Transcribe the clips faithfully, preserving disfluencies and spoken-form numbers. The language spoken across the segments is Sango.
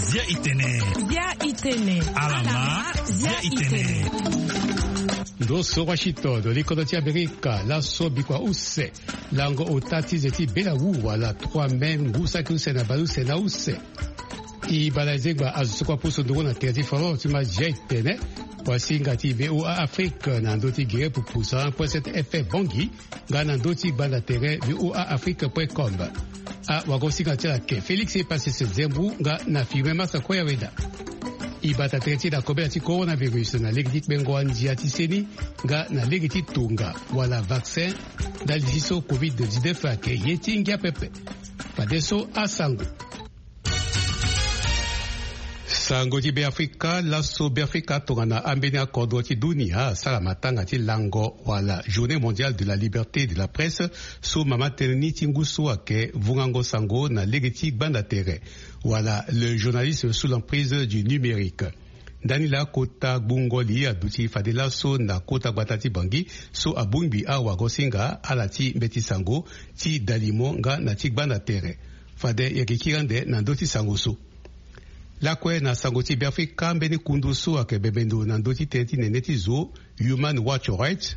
Zia itene. Zia itene. Alama. Zia itene. Ndo so Washington, likodo ti Amerika, laso bikua use. Lango ota ti ze ti bela wu wala trois mai ngu saki use na baleuse na use. E bala ezengba azo so kua poso ndongo na tere ti foro ti ma zia itene. Wasinga ti V O A Afrique na ndö ti gere pupu cent un point sept F M Bangui. Nga na ndö ti gbanda tere V O A Afrique point com. Awagosinga ti ala ke Félix Epassese Zembu nga na Firmin Massa Koyaweda. E bata tere ti na kobela ti coronavirus na lege ti kpengo andia ti seni nga na lege ti tonga wala vaccin. Ndali ti so covid dix-neuf ayeke ye ti ngia pepe. Fadeso asango. Sango ti Beafrika, laso Beafrika tongana ambeni akodro ti dunia asara matanga ti lango wala Journée mondiale de la liberté de la presse, so mama tënë ni ti ngu so ayeke vungango sango na lege ti gbanda tere wala le journalisme sous l'emprise du numérique. Ndani laa kota gbungo li aduti fade laso na kota gbata ti Bangui, so abongbi awagosinga ala ti mbeti sango ti dalimo nga na ti gbanda tere. Fade yeke kiri ande na ndö ti sango so. Lakue na sango ti Beafrika, mbeni kundu so ayeke bembe ndo na ndö ti tënë ti nene ti zo, Human Rights Watch,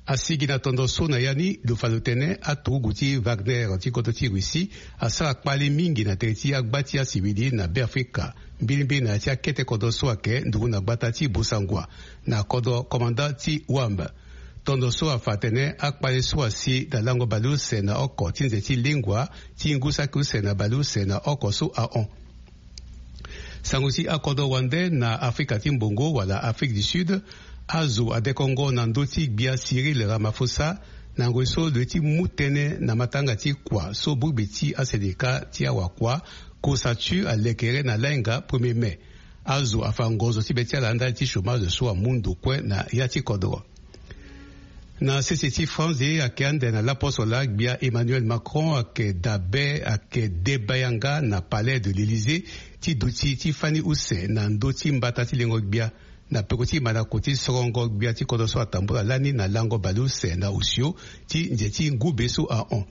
asigi na tondo so na ya ni lo fa lo tene aturugu ti Wagner ti kodro ti Russie asara kpale mingi na tere ti agba ti asivili na Beafrika, mbilimbili na ya ti akete kodro so ayeke nduru na gbata ti Bossangoa na kodro komanda ti Wambe. Tondo so afa atene akpale so asi na lango baleuse na oko ti nze ti lengua ti ngu saki use na baleuse na oko so ahon. Sango ti akodro wande na Afrika ti mbongo wala Afrique du Sud, azo adekongo na ndö ti gbia Cyril Ramaphosa na ngoi so lo ye ti mu tënë na matanga ti kua so bongbi ti asendika ti awakua, COSATU, alekere na lainga premier mai. Azo afa ngonzo ti be ti ala ndali ti chômage so amu ndo kue na ya ti kodro. Na sese ti France ayeke ande na laposo laa gbia Emmanuel Macron ayeke dabe, ayeke deba yanga na Palais de l'Élysée ti duti ti fani use na ndö ti mbata ti lengo gbia na peko ti mandako ti sorongo gbia ti kodro so atambula lani na lango baleuse na osio ti nze ti ngube so ahon.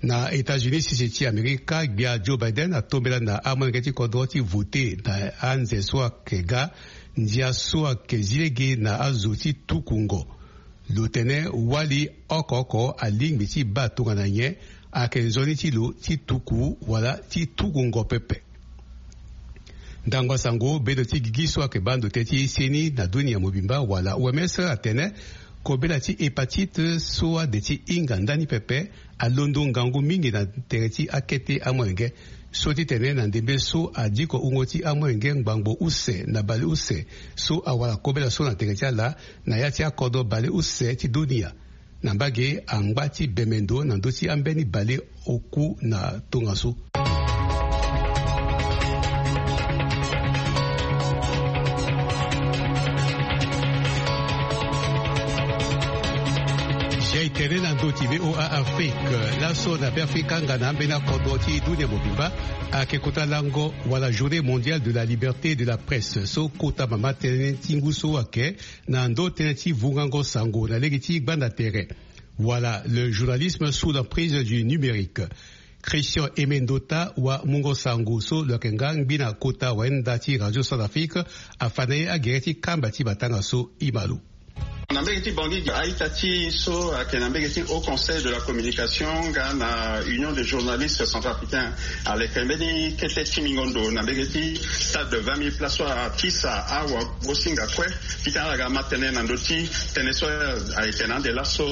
Na États-Unis, sese ti Amerika, gbia Joe Biden atombela na amolenge ti kodro ti vote na anze so ayeke ga, ndia so ayeke zi lege na azo ti tukungo. Lo tene wali oko oko alingbi ti baa tongana nyen, ayeke nzoni ti lo ti tuku wala ti tukungo pepe. Ndangba sango, bendo ti gigi so ayeke baa ndo tënë ti seni na dunia mobimba wala O M S atene kobela ti hépatite so ade ti hinga ndani pepe alondo ngangu mingi na tere ti akete amolenge. So ti tene na ndembe so adiko wungo ti amolenge ngbangbo use na baleuse so awara kobela so na tere ti ala na ya ti akodro baleuse ti dunia. Na mbage angba ti bembe ndo na ndö ti ambeni baleoku na tongaso. Jai tene na ndö ti V O A Afrique, laso na Beafrika nga na ambeni akodro ti dunia mobimba, ayeke kota lango wala Journée mondiale de la liberté de la presse so kota mama tënë ti ngu so ayeke na ndö tënë ti vungango sango na lege ti gbanda tere wala le journalisme sous l'emprise du numérique. Christian Emendota wa mungo sango so lo yeke nga ngbi na kota wayenda ti Radio Centrafrique afa na ye agere ti kamba ti matanga so. Ima lo. Na mbege ti Bangui, a-ita ti so ayeke na mbege ti Haut Conseil de la Communication nga na Union des journalistes centrafricains aleke mbeni kete ti mingo ndo na mbege ti stade de vingt mille places so akisa awagosinga kue. Titene ala ga ma tënë na ndö ti tënë so ayeke na ande laso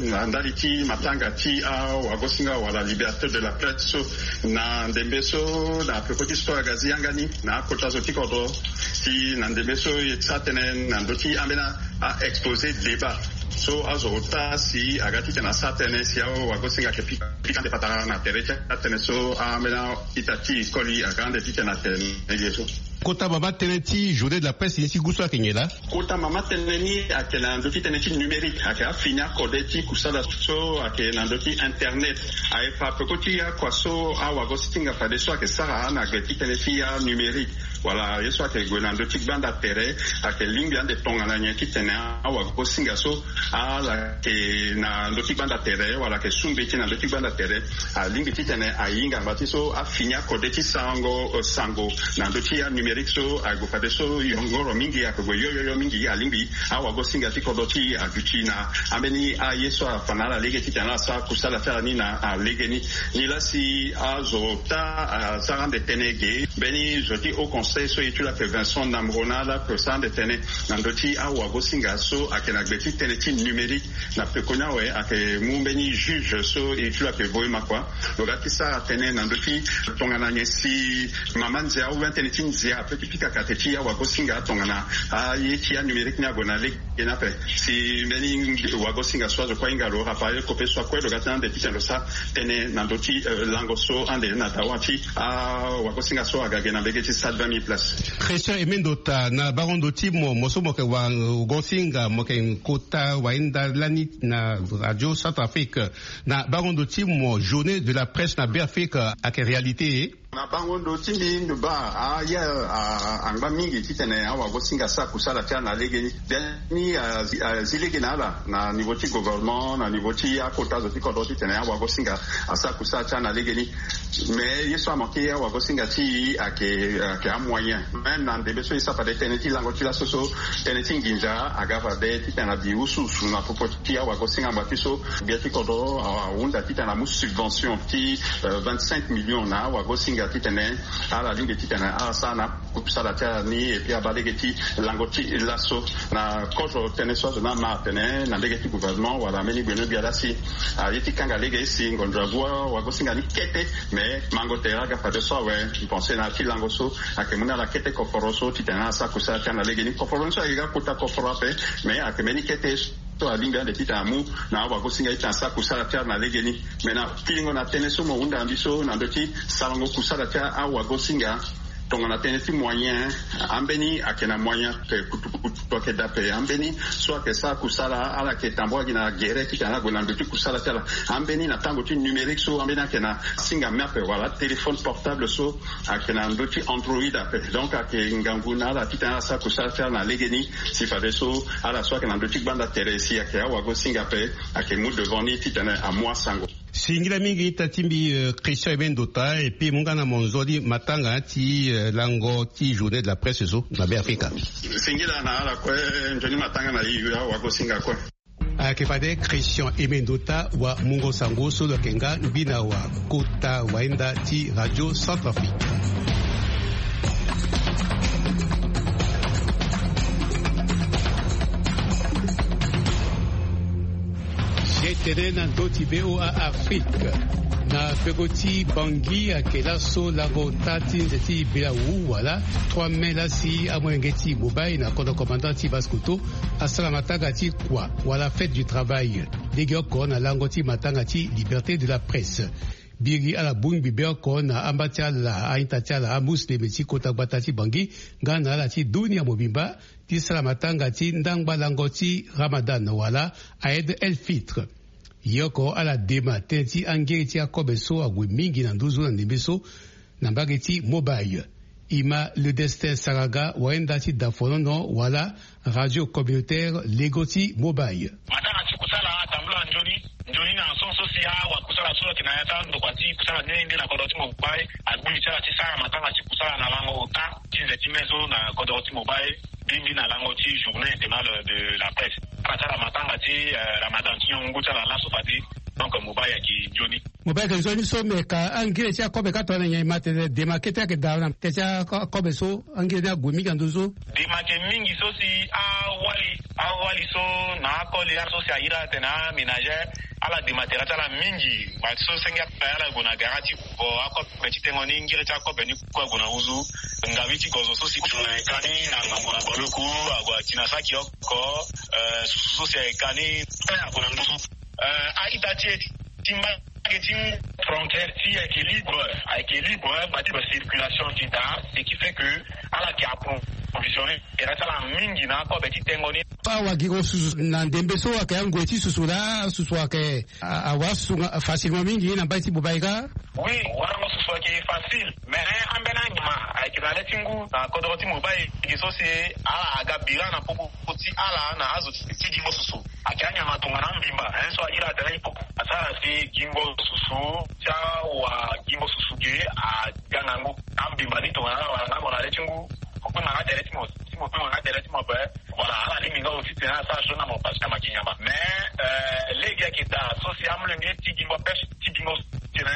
na ndali ti matanga ti awagosinga wala liberté de la presse so na ndembe so na peko ti so aga zi yanga ni na akota zo ti kodro. Si na ndembe so e sara tënë na ndö ti ambeni a-exposé débat so azo ota si aga titene asara tënë si awagosinga ayeke pika pika ande patara na tere ti atënë so ambeni a-ita ti e koli aga ande titene atene ye so. Kota mama tënë ti journée de la presse ni ti gu so ayeke nyen laa? Kota mama tënë ni ayeke na ndö ti tënë ti numérique, ayeke afini akode ti kusala so ayeke na ndö ti internet. Ayeke fa peko ti akua so awagosinga fadeso ayeke sara na gbe ti tënë ti anumérique. wala ye so ayeke gue na ndö ti gbanda tere, ayeke lingbi ande tongana nyen titene awagosinga so ala yeke na ndö ti gbanda tere wala ayeke su mbeti na ndö ti gbanda tere. Alingbi titene ahinga ngba ti so afini akode ti sarango sango na ndö ti anumérique so ague fadeso yongoro mingi, ayeke gue yoyoyo mingi. Alingbi awagosinga ti kodro ti aduti na ambeni aye so afa na ala lege titene ala sara kusala ti ala ni na alege ni. Nilaa si azo ota asara ande tënë ge, mbeni zo ti haut conseil so e ti lo ayeke Vincent Namrona, ala yeke sara ande tënë na ndö ti awagosinga so ayeke na gbe ti tënë ti numérique. Na pekoni awe ayeke mu mbeni juge so e ti lo ayeke Voe Makua, lo ga ti sara tënë na ndö ti tongana nyen si mama nzia ou bien tënë ti nzia ape ti pika kate ti awagosinga tongana aye ti anumérique ni ague na lege ni ape. Si mbeni wagosinga so azo kue ahinga lo, Raphaël Kope so akue, lo ga ti na ande titene lo sara tënë na ndö ti lango so ande na dawa ti awagosinga so aga ge na mbege ti stade vingt mille places. Christian Emendota, na bango ndo ti mo, mo so mo yeke wagosinga, mo yeke kota wahinda lani na Radio Centrafrique, na bango ndo ti mo, journée de la presse na Beafrika ayeke réalité? Na bango ndo ti mbi, ndo baa aye angba mingi titene awagosinga asara kusala ti ala na lege ni. Biani azi lege na ala na niveau ti gouvernement, na niveau ti akota zo ti kodro titene awagosinga asara kusala ti ala na lege ni. Mais ye so amanke awagosinga ti e ayeke, ayeke amoyen. Même na ndembe so e sara fade tënë ti lango ti laso so, tënë ti nginza aga fade titene abi usuusu na popo ti awagosinga ngba ti so. Gbia ti kodro ahunda titene amu subvention ti vingt-cinq millions na awagosinga titene ala lingbi titene ala sara na kusala ti ala ni. Et puis abaa lege ti lango ti laso na kozo tënë so azo ni ama atene na lege ti gouvernement wala mbeni gbenyo-gbia laa si aye ti kanga lege si ngonzo agu awagosinga ni kete. Mais mango tere aga fadeso awe, mbi pense na ya ti lango so ayeke mu na ala kete koforo so titene ala sara kusala ti ala na lege ni. Koforo ni so ayeke ga kota koforo ape, mais ayeke mbeni kete so alingbi ande titene amu na awagosinga titene asara kusala ti ala na lege ni. Mais na kiringo na tënë so mo hunda na mbi so na ndö ti sarango kusala ti awagosinga, tongana tënë ti moyen, ambeni ayeke na moyen ape kutukutu, ayeke daa ape. Ambeni so ayeke sara kusala, ala yeke tambula gi na gere titene ala gue na ndö ti kusala ti ala. Ambeni na tango ti numérique so, ambeni ayeke na singa me ape wala téléphone portable so ayeke na ndö ti Android ape. Donc ayeke ngangu na ala titene ala sara kusala ti ala na lege ni. Si fadeso ala so ayeke na ndö ti gbanda tere si ayeke awagosinga ape, ayeke mu devant ni titene amu asango. Singila mingi ita ti mbi, euh, Christian Emendota, et puis mu nga na mo nzoni matanga ti, euh, lango ti journée de la presse so na Beafrika. Singila na ala kue, nzoni matanga na e, awagosinga kue. Ayeke fade Christian Emendota wa mungo sango so lo yeke nga ngbi na wa kota wahinda ti Radio Centrafrique. Ye tene na ndö ti V O A Afrique. Na peko ti Bangui ayeke laso lango ota ti nze ti bela wu wala trois mai laa si amolenge ti Mobile na kodro commandant ti Basse-Kotto asara matanga ti kua wala fête du travail, legeoko na lango ti matanga ti liberté de la presse. Biri ala bongbi be oko na amba ti ala, a-ita ti ala, amuslim ti kota gbata ti Bangui nga na ala ti dunia mobimba ti sara matanga ti ndangba lango ti Ramadan wala Aïd el Fitr. Ye oko ala dema tënë ti angiri ti akobe so ague mingi na nduzu na ndembe so na mbage ti Mobile. E ma Le Destin Saraga, wayenda ti Dafonono wala radio communautaire Lego ti Mobile. Matanga ti kusala atambula nzoni nzoni na nson so si awakusala so ayeke na ya ti andokua ti kusala nde nde na kodro ti Mobile agbu li ti ala ti sara matanga ti kusala na lango ota ti nze ti mai so na kodro ti Mobile. Bimbi na lango ti journée internationale de la presse. Ala ti ala matanga ti, euh, Ramadan ti niongo ngu ti ala laso fade. Donc Mobile ayeke nzoni. Mobile ayeke nzoni so, me ka angiri ti akobe ka tongana nyen? E ma tene dema kete ayeke daa na tene ti akobe so angiri ni ague mingi na nduzu. Dema ayeke mingi so si awali, awali so na akoli so si ahiri ala tene aménagère, ala dema tere ti ala mingi. Ngba so senge ape ala gue na gara ti vo akobe ti tengo ni, ngiri ti akobe ni kue ague na nduzu. Ngabi ti gozo so si kutu na e ka ni na ngangu na baleku ague ati na saki oko, euh, susu so si ayeke ka ni ague na nduzu. Euh, a-ita ti e ti mbage ti frontière ti e ayeke libre, ayeke libre, ngba ti ba circulation ti daa, ce qui fait que ala yeke approuver Visionnaire, e sara mingi na akobe ti tengo ni. Awa gi ko susu na ndembe so ayeke angoi ti susu laa, susu ayeke a- awara susu nga- facilement mingi na mbai ti Bobaïga. Oui, warango susu ayeke facile, mais ambeni anyama ayeke na le ti ngu na kodro ti Bobaïga so si ala aga bira na popo ti ala na azo ti gi mo susu. Ayeke anyama tongana ambimba, hein, so a iri atene hippo. Asara si gingo susu ti awa gingo susu ge aga na ngu. Ambimba ni tongana ala wara na ngango na le ti ngu. Kue na nga tere ti mo, ti mo kue na nga tere ti mo ape. Voilà, ala lingbi nga aussi tene asara so na mo parce que ama gi nyama. Mais, euh, lege ayeke daa so si amolenge ti gingo pêche ti gingo tene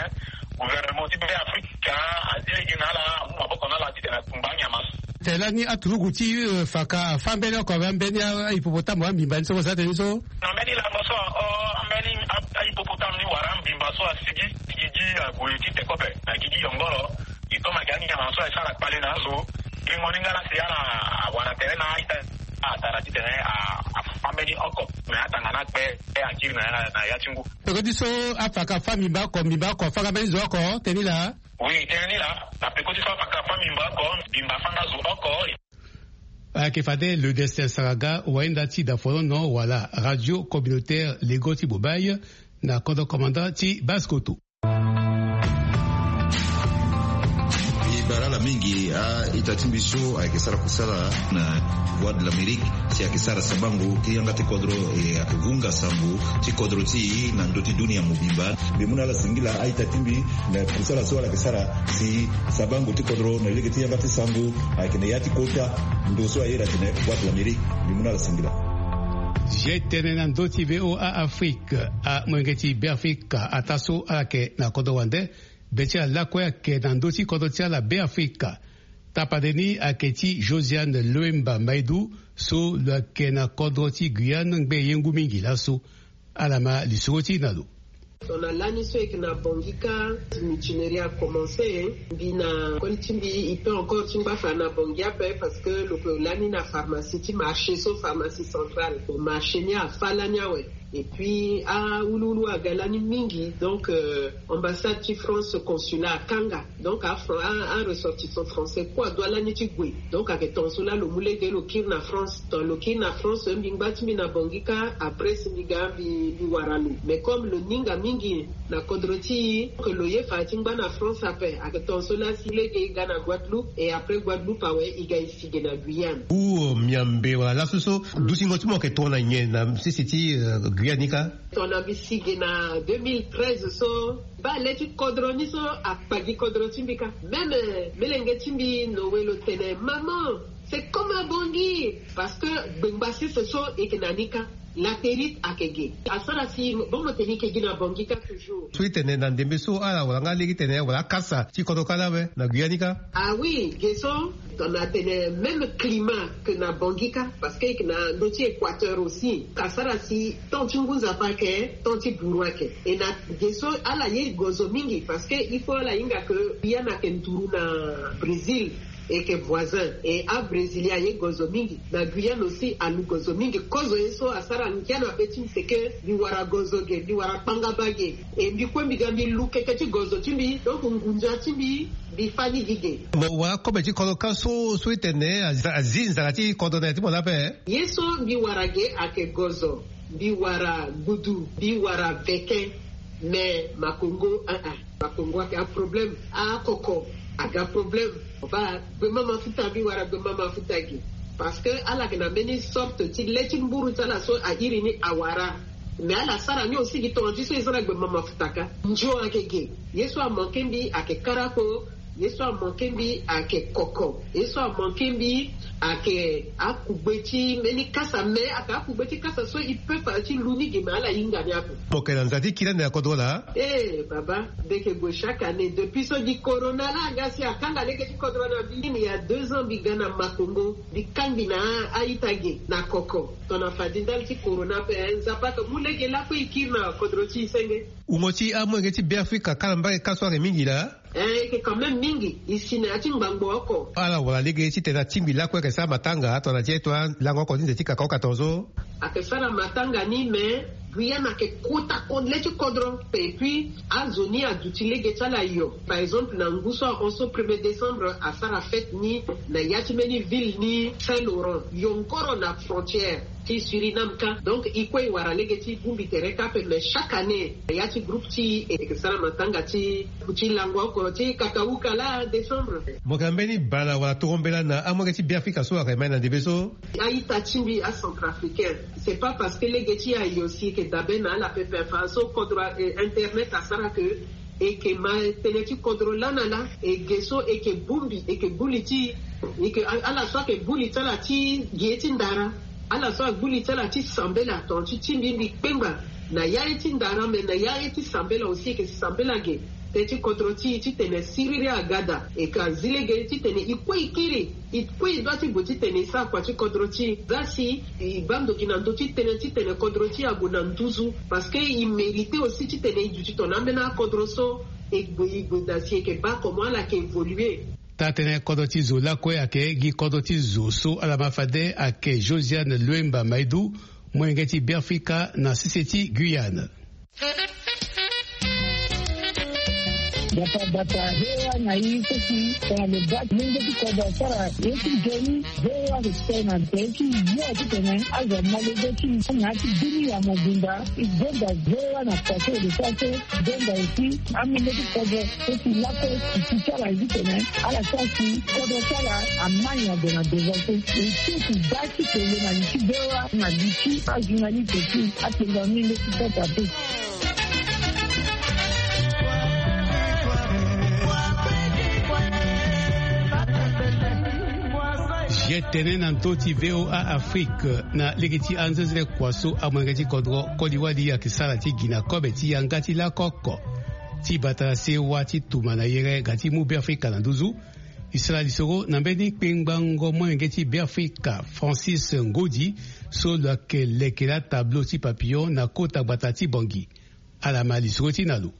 gouvernement ti Beafrika azi lege na ala, amu maboko na ala titene atumba anyama. Tene lani aturugu ti, euh, faka fâ mbeni oko awe, ambeni a- ahippopotame ambimba ni so mo sara tene ni so. Na mbeni lango so, o, ambeni a- ahippopotame ni wara ambimba so asigi gigi ague ti tekope na gigi yongoro. E toma gi anyama so asara kpale na azo. Gi mo ni nga la si ala awara tere na a-ita atara titene a- afâ mbeni oko. Me atanga na akpe e akiri na ya- na ya ti ngu. Peko ti so afaka fâ mbimba oko, mbimba oko, afaka mbeni zo oko, tene ni laa. Oui, tene ni laa. Na peko ti so afaka fâ mbimba oko, mbimba afâ nga zo oko. Ayeke fade Le Destin Saraga, wahinda ti dafolono wala Radio Communautaire Lego ti Bobaï, na kodro commandant ti Basse-Kotto. E bale ala mingi a-ita ti mbi so ayeke sara kusala na Voix de l'Amérique, si ayeke sara sabango ti yanga ti kodro, e ayeke vunga sango ti kodro ti e na ndö ti dunia mobimba. Mbi mu na ala singila a-ita ti mbi na kusala so ala yeke sara si sabango ti kodro na lege ti yanga ti sango ayeke na ya ti kota ndo so a iri atene Voix de l'Amérique. Mbi mu na ala singila. Zia e tene na ndö ti V O A Afrique, amolenge ti Beafrika ataa so ala yeke na kodro wande, be ti ala lakue ayeke na ndö ti kodro ti ala Beafrika. Tapande ni ayeke ti Josiane Loemba Maidou so lo yeke na kodro ti Guyane ngbe ye ngu mingi laso. Ala ma lisoro ti e na lo. Tongana lani so e yeke na Bangui kâ, mutinerie a commencé. Mbi na koli ti mbi e peut encore ti ngba fa na Bangui ape parce que lo yeke lani na pharmacie ti marché so, pharmacie centrale. Bon, marché ni afâ lani awe. Et puis awuluwulu aga lani mingi, donc, euh, ambassade ti France, consulat akanga. Donc a Fran- a- aressortissant français kue adoit lani ti gue. Donc ayeke tongaso laa lo mu lege lo kiri na France. Tongana lo kiri na France, mbi ngba ti mbi na Bangui kâ, après si mbi ga mbi mbi wara lo. Mais comme lo ninga mingi na kodro ti e, que lo ye fa ti ngba na France ape, ayeke tongaso laa si lege e ga na Guadeloupe, et après Guadeloupe awe e ga e si ge na Guyane. Ou, euh, miambe wala laso so dutingo ti mo ayeke tongana nyen na sese ti, euh, Guyane ni kâ? Tongana mbi si ge na deux mille treize so, baa le ti kodro ni so akpa gi kodro ti mbi kâ. Même, euh, melenge ti mbi Noé lo tene, maman, c'est comme à Bangui. Parce que gbengba sese so e yeke na ni kâ. Latérite ayeke ge. Asara si bon mo tene e yeke gi na Bangui kâ toujours. So e tene na ndembe so ala wara nga lege titene wala akasa ti kodro kâ laa awe na Guyane ni kâ? Ah oui, ge so tongana tene même climat que na Bangui kâ, parce que e yeke na ndö ti équateur aussi. Asara si temps ti ngu nzapa ayeke, temps ti buru ayeke. E na ge so ala ye gozo mingi, parce que il faut ala hinga que Guyane ayeke nduru na Brésil. E yeke voisin. E abrésilien aye gozo mingi. Na Guyane aussi alu gozo mingi. Kozo ye so asara ngia na be ti mbi, c'est que mbi wara gozo ge, mbi wara kpangaba ge. E mbi kue mbi ga mbi lu keke ti gozo ti mbi, donc ngunza ti mbi, mbi fâ ni gi ge. Mo wara kobe ti kodro kâ so, so e tene azi, azi nzara ti kodro na ya ti mo laa ape? Ye so mbi wara ge ayeke gozo. Mbi wara gudu, mbi wara veke. Mais makongo, ah, ah, makongo ayeke aproblème. Akoko aga problème. Baa gbema mafuta, mbi wara gbema mafuta ge. Parce que ala yeke na mbeni sorte ti le ti mburu ti ala so a iri ni awara. Mais ala sara ni aussi gi tongana ti so e za na gbema mafuta kâ. Nzio ayeke ge. Ye so amanke mbi ayeke karako. Ye so amanke mbi ayeke koko. Ye so amanke mbi ayeke akugbe ti mbeni kasa, mais ayeke akugbe ti kasa so e peut fa ti lu ni ge, mais ala hinga ni ape. Mo yeke na nza ti kiri ande na kodro laa? Eh baba, mbi yeke gue chaque année depuis so gi corona laa aga si akanga lege ti kodro na mbi. Il y a deux ans mbi ga na Makongo, mbi kangbi na a-ita ge na koko. Tongana fade ndali ti corona ape, eh, Nzapa ayeke mu lege lakue e kiri na kodro ti e senge. Wungo ti amolenge ti Beafrika kâ na mbage kâ so ayeke mingi laa? Eh, e yeke quand même mingi, e si na ya ti ngbangbo oko. Ala wara lege titene atingbi lakue ayeke sara matanga tongana ti e to alango oko ti nze ti kaka oka tongaso. Ayeke sara matanga ni, mais Guyane ayeke kota kode le ti kodro. Et puis azo ni aduti lege ti ala yo. Par exemple na ngu so ahon so premier décembre asara fête ni na ya ti mbeni ville ni Saint Laurent, yo ngoro na frontière ti Suriname ka. Donc e kue e wara lege ti bongbi tere kâ ape, mais chaque année na ya ti groupe ti e e ke sara matanga ti ti lango oko ti kakauka la décembre. Mo yeke na mbeni bala wala tongo mbela na amolenge ti Beafrika so ayeke mai na ndembe so? A-ita ti mbi acentrafricain, c'est pas parce que lege ti ayo si e ke dabe na ala pepe. Fa so kodro internet asara ke e ke ma tënë ti kodro laa na laa. E ge so e ke bongbi e ke buli ti e ke ala so ayeke buli ti ala ti ge ti ndara. Ala so agbu li ti ala ti sambela tonga ti ti mbi mbi kpengba na ya ye ti ndara me na ya ye ti sambela aussi e ke sambela ge. Tënë ti kodro ti e titene siriri aga daa e ka zi lege titene e kue e kiri e kue e dua ti gue titene e sara kua ti kodro ti e. Za si e baa ndo gi na ndö ti tënë titene kodro ti e ague na nduzu. Parce que e mérite aussi titene e duti tongana ambeni akodro so e gue e gue daa si e ke baa comment ala yeke évoluer. Taa-tënë kodro ti zo lakue ayeke gi kodro ti zo so ala ma fade ayeke Josiane Luemba Maidu, molenge ti Beafrika na sese ti Guyane. Bata bata V O A na i so si tongana lo baa molenge ti kodro asara ye ti nzoni. V O A respect na tënë ti yo titene azo amolenge ti na ya ti dunia mobimba. E gonda V O A na kua so e lo sara so. Gonda aussi amolenge ti kodro so si lakue si ti ti ala zi tene ala sara si kodro ti ala amai na gue na devant so. E ti si baa ti tene na li ti V O A na li ti ajournaliste ti atenga mingi ti kota te. Ye tene na ndö ti V O A Afrique na lege ti anzenzele kua so amolenge ti kodro koli wali ayeke sara ti gi na kobe ti yanga ti lako oko ti bata sewa ti tuma na yere ga ti mu Beafrika na nduzu. E sara lisoro na mbeni kpengbango molenge ti Beafrika Francis Ngodi so lo yeke leke la tableau ti papillon na kota gbata ti Bangui. Ala ma lisoro ti na lo.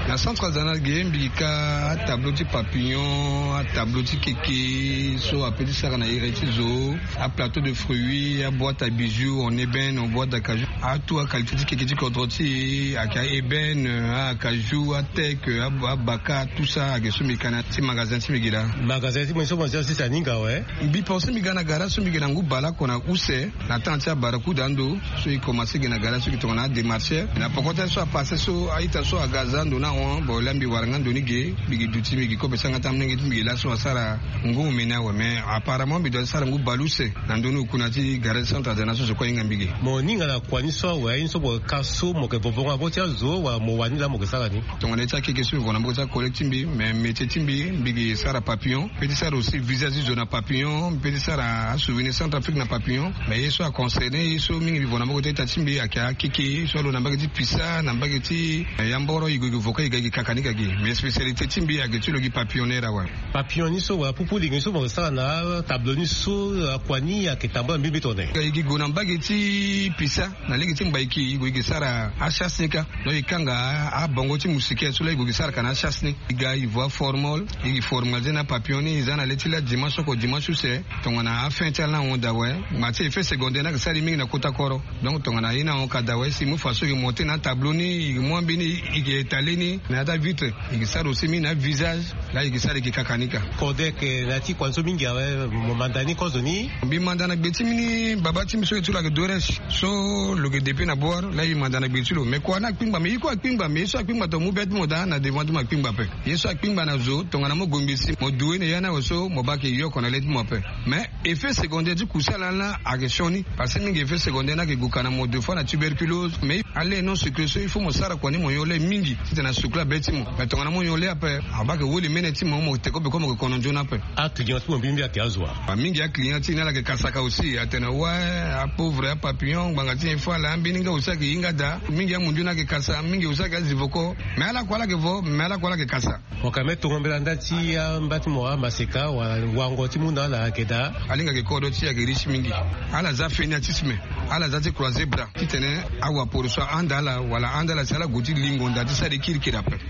Na centre azana ge mbi gi ka atableau ti papillon, atableau ti keke so ape ti sara na iri ti zo, aplateau de fruits, aboîte à bijoux en ébène, en bois d'acajou, atout aqualité ti keke ti kodro ti e ayeke aébène, acajou, ateke, abaka, tout ça ayeke so mbi gi ka na ti magasin ti mbi gi laa. Magasin ti mbi so mo zi asisi aninga awe. Mbi pense mbi ga na gara so mbi gi na ngu baleoko na use. Na temps ti abarakuda ando so e commence ge na gara so e ke tongana adémarcheur na poko ti aye so apasse so a-ita so aga aza ando ni ahon bon laa mbi wara nga ndo ni ge. Mbi gi duti mbi gi kobe ti yanga ti amolenge ti mbi gi laso asara ngu omeni awe mais apparemment mbi doit ti sara ngu baleuse na ndö ni oku na ti gara ti centre azana so zo kue ahinga mbi ge. Mo ninga na kua ni so awe aye ni so mo yeke ka so mo yeke vovo nga na maboko ti azo wala mo wani laa mo yeke sara ni? Tongana ye ti akeke so mbi vo na maboko ti acollègue ti mbi mais métier ti mbi mbi gi sara papillon. Mbi pe ti sara aussi visage ti zo na papillon mbi pe ti sara asouvenir centre afrique na papillon. Mais ye so aconcerné ye so mingi mbi vo na maboko ti a-ita ti mbi ayeke akeke so alo na mbage ti pisa na mbage ti yamboro e gue e gue vo ka e ga e gi kaka ni ka gi mais spécialité ti mbi ayeke ti lo gi papillonneur awe. Papillon ni so wala pupu lingi ni so mo sara na atableau ni so akua ni ayeke tambula mbimbi tone? E gi gue na mbage ti pisa na lege ti mbaiki e gue e gi sara achasse ni ka. Donc e kanga abongo ti moustiquaire so laa e gue e gi sara ka na achasse ni. E ga e vo aformol e gi formaliser na papillon ni e za na le ti laa dimanche oko dimanche use tongana afin ti ala ni ahon daa awe. Ma ti effet secondaire ni ayeke sara e mingi na kota koro. Donc tongana ye ni ahon ka daa awe si e mu façon e gi monter na atableau ni e gi mu ambeni e gi étaler ni na ya ti avitre. E gi sara aussi mingi na avisage. Laa e gi sara e gi kaka ni ka. Kodek na ya ti kua ni so mingi awe mo manda ni kozo ni? Mbi manda na gbe ti mbi ni baba ti mbi so e ti lo ayeke doresh so lo yeke depuis na bor laa e manda na gbe ti lo mais kua ni akpingba mais ye kue akpingba mais ye so akpingba tongana mu be ti mo daa na devant ti mo akpingba ape. Ye so akpingba na zo tongana mo gongbi si mo du ye na ya ni awe so mo baa ayeke yoko na le ti mo ape. Mais effet secondaire ti kusala ni laa ayeke sioni. Parce que mingi effet secondaire ni ayeke gue ka na mo deux fois na tuberculose mais ale non sucre so il faut mo sara kua ni mo nyon le mingi titene asucre abe ti mo. Mais tongana mo nyon le ape abaa ayeke woli mene ti mo mo te kobe kue mo yeke kono nzoni ape. Aclient ti mo mbimbi ayeke azo wa? Mingi aclient ti e ni ala yeke kasaka aussi atene wa apauvre apapillon ngbanga ti nyen fo ala ambeni nga aussi ayeke hinga daa. Mingi amundu ni ayeke kasa mingi aussi ayeke azi voko. Mais ala kue ala yeke vo mais ala kue ala yeke kasa. Mo ka me tongo mbela nda ti amba ti mo amaseka wala wango ti mu na ala ayeke daa. Alinga ayeke kodro ti e ayeke riche mingi. Ala za fainéantisme. Ala za ti croiser bras titene awaporo so ahanda ala wala ahanda ala si ala gue ti lingo nda ti sara e kiri.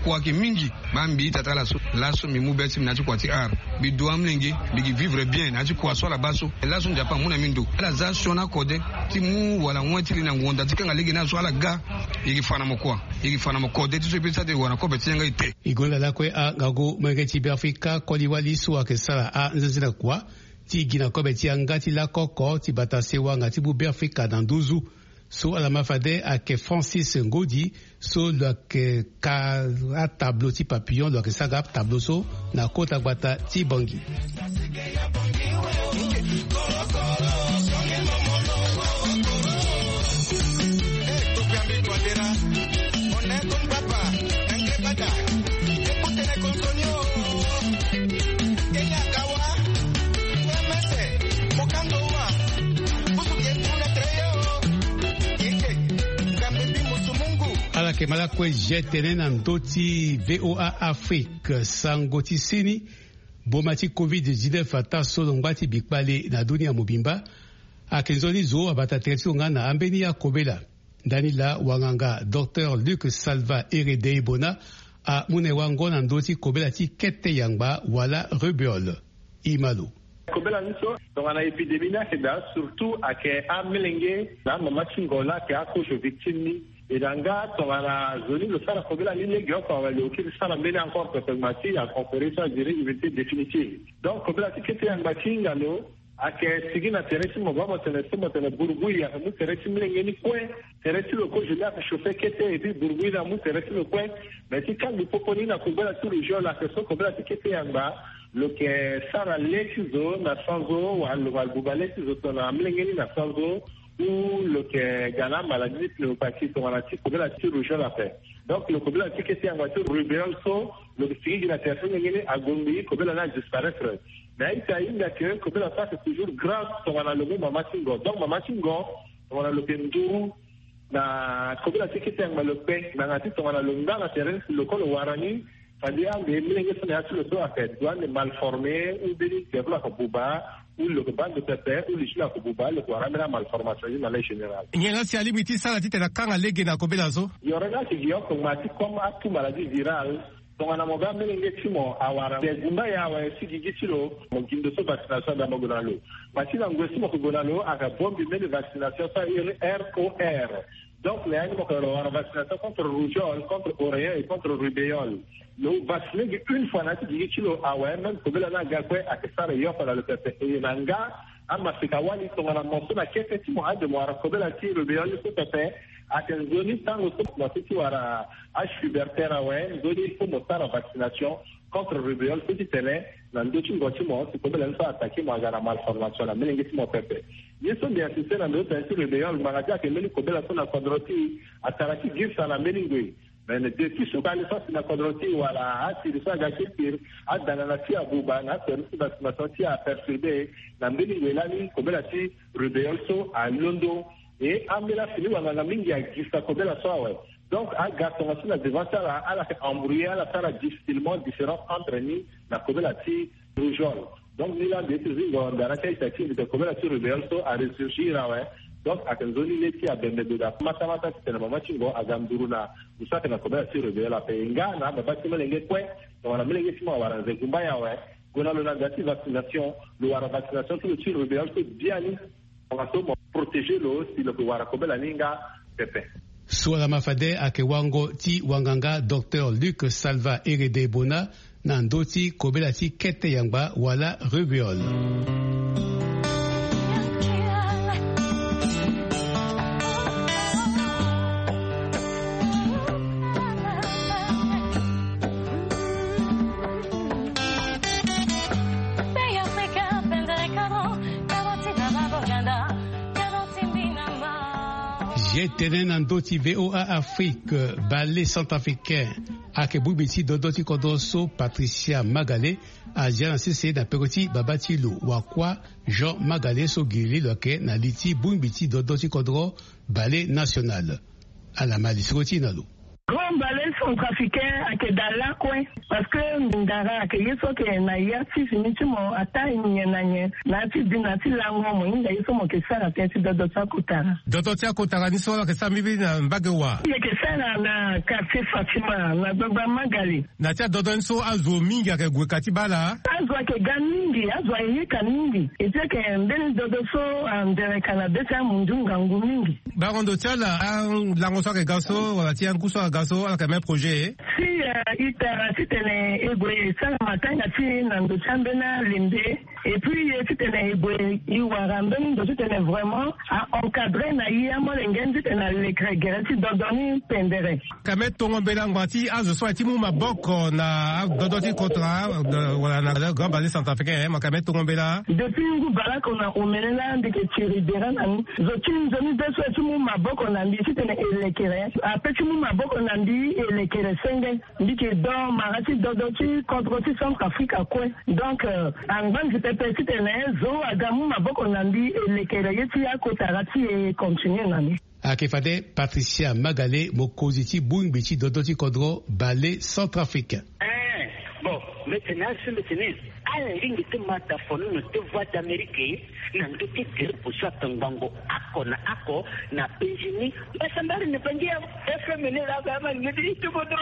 Kua ayeke mingi. Baa mbi ita ti ala so laso mbi mu be ti mbi na ya ti kua ti art. Mbi du amolenge. Mbi gi vivre bien na ya ti kua so ala baa so. Laso Nzapa amu na mbi ndo ala za sioni akode ti mu wala wen ti li na ngonda ti kanga lege ni azo ala ga. E gi fa na mo kua. E gi fa na mo kode ti so e pe ti sa ti wara na kobe ti yanga ete. E gonda lakue angangu molenge ti Beafrika koli wali so ayeke sara anzenze na kua ti gi na kobe ti yanga ti lako oko ti bata sewanga ti mu Beafrika na nduzu. So ala ma fade ayeke Francis Ngodi so lo yeke ka atablo ti papillon lo yeke sara atablo so na kota gbata ti Bangui. Ala yeke ma lakue je tene na ndö ti VOA Afrique sango ti seni. Boma ti covid dix-neuf ataa so lo ngba ti bikpale na dunia mobimba. Ayeke nzoni zo abata tere ti lo nga na ambeni akobela. Ndani laa wanganga docteur Luc Salva Ere Deibona amu na e wango na ndö ti kobela ti kete yangba wala rubeole. E ma lo. Kobela ni so tongana épidémie ni ayeke daa surtout ayeke amolenge na amama ti ngo laa ayeke akozo victime ni. E na nga tongana zo ni lo sara kobela ni legeoko awe lo kiri sara mbeni encore pepe ngba ti aconférence so a duré immunité définitive. Donc kobela ti kete yangba ti hinga lo ayeke sigi na tere ti mo baa mo tene so mo tene burubui ayeke mu tere ti molenge ni kue. Tere ti lo kozo ni ayeke chauffer kete et puis burubui ni amu tere ti lo kue. Mais ti kangbi popo ni na kobela ti rugeole ayeke so kobela ti kete yangba lo yeke sara le ti zo na sanzo wala lo ma buba le ti zo tongana molenge ni na sanzo. Ou lo yeke ga na amaladie ti pneumopathie tongana ti kobela ti rugeole ape. Donc lo kobela ti kete yangba ti rubeole so lo yeke sigi gi na tere ti molenge ni ague ngbii kobela ni adisparaître. Mais a-ita ahinga ke kobela so ayeke toujours grave tongana lo mu mama ti ngo. Donc mama ti ngo tongana lo yeke nduru na kobela ti kete yangba lo kpe ngbanga ti tongana lo ngba na tere ni si lo ko lo wara ni. Fade ande molenge so na ya ti lo so ayeke du ande mal formé ou mbeni derlo ayeke buba ou lo yeke baa ndo pepe ou li ti lo ayeke buba lo yeke wara ambeni amalformation ni na lege général. Nyen la si alingbi ti sara titene akanga lege na kobela so? Yoro ni ayeke gi oko ngba ti comme atout maladie virale. Tongana mo ga molenge ti mo awara nze gumba ye awe si gigi ti lo mo gi ndo so vaccination anda mo gue na lo. Ngba ti na ngoi so mo yeke gue na lo ayeke abongbi mbeni vaccination so a iri R O R. Donc na ya ni mo yeke wara vaccination contre rougeole, contre oreillon et contre rubeole. Lo vaccine gi une fois na ya ti gigi ti lo awe même kobela ni aga kue ayeke sara e oko na lo pepe. E na nga amasika wali tongana mo so na kete ti mo ade mo wara kobela ti rubeole so pepe. Ayeke nzoni tango so mo si ti wara achuberter awe nzoni il faut mo sara vaccination contre rubeole so ti tene na ndö ti ngo ti mo si kobela ni so attaqué mo aga na malformation na molenge ti mo pepe. Ye so mbi insiste na ndo tene ti rubeole ngbanga ti ayeke mbeni kobela so na kodro ti atara ti girisa na mbeni ngoi. Mais depuis so kali so asi na kodro ti wala asiri so aga ti siri adanga na ti abuba na aservice ti vaccination ti aperturbé na mbeni ngoi lani kobela ti rubeole so alondo. E ambeni afini wanganga mingi agisa kobela so awe. Donc aga tongaso na devant ti ala ala yeke embrouiller ala sara difficilement différence entre ni na kobela ti rougeole. Donc ni laa mbi ye ti zingo mbi ala ti a-ita ti e mbi tene kobela ti rubeole so aressurgir awe. Donc ayeke nzoni le ti abembe ndo daa matamata titene mama ti ngo aga nduru na ndo so ayeke na kobela ti rubeole ape. E nga na ababa ti molenge kue tongana molenge ti mo awara nze gumba ye awe gue na lo na nda ti vaccination. Lo wara vaccination ti lo ti rubeole so biani. Tongaso mo protéger lo si lo yeke wara kobela ni nga pepe. So ala ma fade ayeke wango ti wanganga docteur Luc Salva Ere Deibona na ndö ti kobela ti kete yangba wala rubeole. Je tene na ndö ti VOA Afrique, bale centrafricain ayeke bongbi ti dodo ti kodro so Patricia Magale azia na sese na peko ti babâ ti lo wakua Jean Magale so giri lo yeke na li ti bongbi ti dodo ti kodro bale national. Ala ma lisoro ti e na lo. Grand Bale Centrafricain ayeke daa lakue. Parce que ndara ayeke ye so ayeke na ya ti fini ti mo ataa nyen na nyen na ya ti bi na ya ti lango, mo hinga ye so mo yeke sara tënë ti dodo ti akotara. Dodo ti akotara ni so ala yeke sara mbirimbiri na mbage wa? Mbi yeke sara na quartier Fatima na gbagba Magali. Na ya ti adodo ni so azo mingi ayeke gue ka ti baa ala? Azo ayeke ga mingi, azo ayeke yeka mingi. E ti ayeke mbeni dodo so andereka na be ti amundu ngangu mingi. Bango ndo ti ala alango so ayeke ga so wala ti angu so aga so ala yeke même projet? Si, euh, e tara titene e gue e sara matanga ti e na ndo ti ambeni alembe. Et puis e titene e gue e wara mbeni ndo titene vraiment a encadrer na e amolenge ni titene alekere gere ti dodo ni pendere. Kame tongo mbela ngbanga ti azo so aye ti mu maboko na adodo ti kotara, euh, wala na Grand Bale Centrafricain, eh, ma kame tongo mbela. Depuis ngu bale oko na omene laa mbi yeke tiri bere na ni. Zo ti nzoni be so aye ti mu maboko na mbi titene e lekere ape ti mu maboko na mbi e lekere senge. Mbi yeke do mara ti dodo ti kodro ti Centrafrique akue. Donc, euh, angba nzi pepe titene zo aga mu maboko na mbi e lekere ye ti akotara ti e continue na ni. Ayeke fade Patricia Magale, mokonzi ti bongbi ti dodo ti kodro Bale Centrafrique. Eh, bon, mbi tene asi mbi tene ala lingbi ti ma tafonono ti Voix d'Amérique na ndö ti groupe so ape ngbongo oko na oko na penzi ni. Mbasambari ni Bangi ya F M ni la ba ma ngedi ti bodo.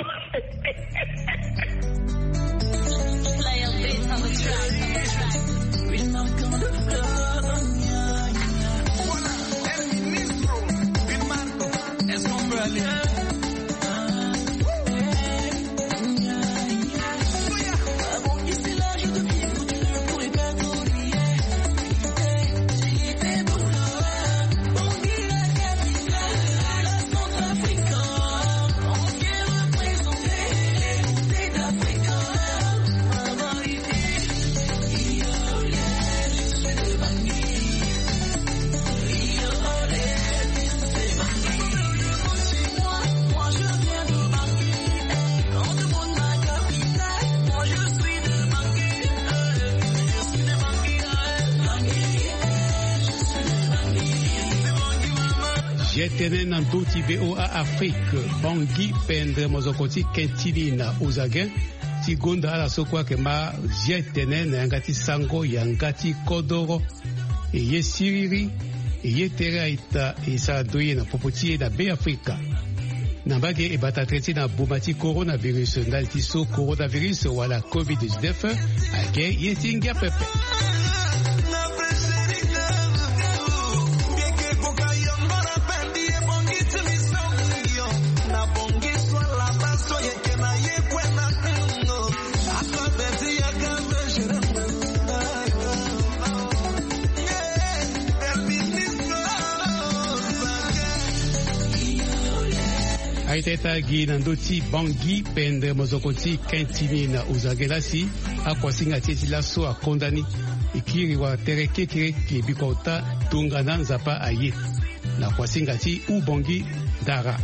Voilà, El Ministro Vilmar. Est-ce qu'on peut aller? Zi tene na ndö ti V O A Afrique, Bangui Pendre, mozoko ti Quintilina Ouzaguen, ti gonda ala so kue ayeke ma zi tene na yanga ti sango yanga ti kodoro. E ye siriri, e ye tere aita, e sara ndoye na popo ti e na Beafrika. Na mbage e bata tere ti na boma ti coronavirus, ndali ti so coronavirus wala covid dix-neuf ayeke ye ti ngia pepe. Aita ita gi na ndö ti Bangui Pendre, mozoko ti Quintilina Ouzaguen la si akuasinga ti e ti laso akonda ni. E kiri wala tere kekereke bikua ota tongana Nzapa aye. Na kuasinga ti Ubangui Dara.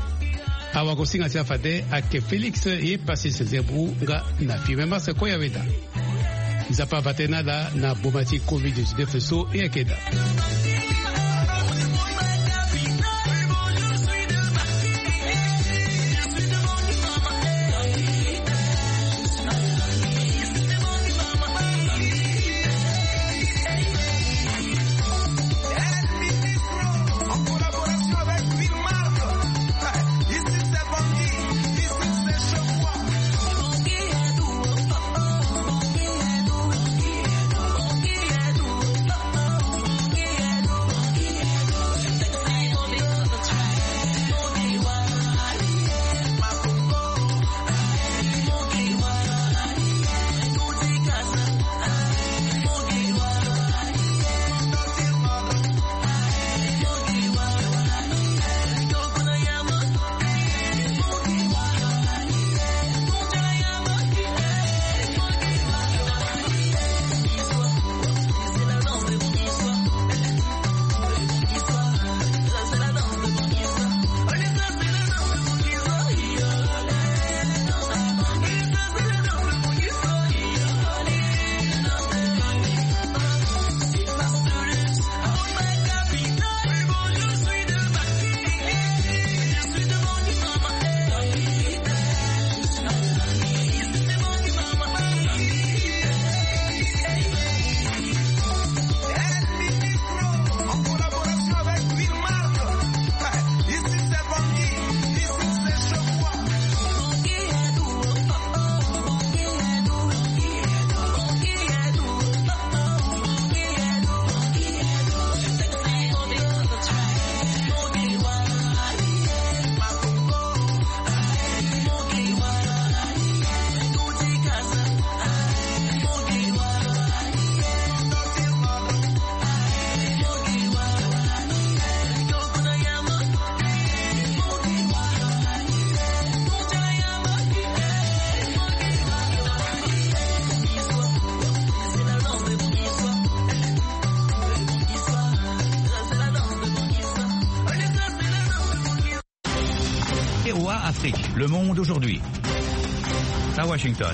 Awagosinga ti afade ayeke Félix ye Pacis Zebou nga na Firmin Mars Koyaweda. Nzapa ava tënë na ala na boma ti covid dix-neuf so e yeke daa. Le Monde aujourd'hui. À Washington.